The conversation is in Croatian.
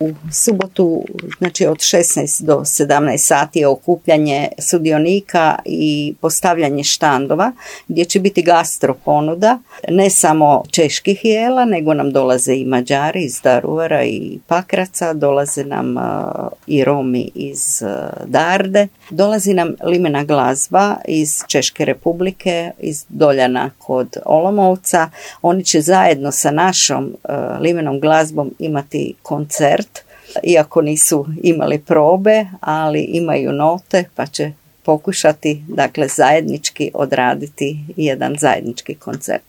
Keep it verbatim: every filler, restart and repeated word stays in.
U subotu, znači od šesnaest do sedamnaest sati je okupljanje sudionika i postavljanje štandova gdje će biti gastro ponuda, ne samo čeških jela, nego nam dolaze i Mađari iz Daruvara i Pakraca, dolaze nam uh, i Romi iz uh, Darde, dolazi nam limena glazba iz Češke Republike, iz Doljana kod Olomouca. Oni će zajedno sa našom uh, limenom glazbom imati koncert, iako nisu imali probe, ali imaju note pa će pokušati, dakle, zajednički odraditi jedan zajednički koncert.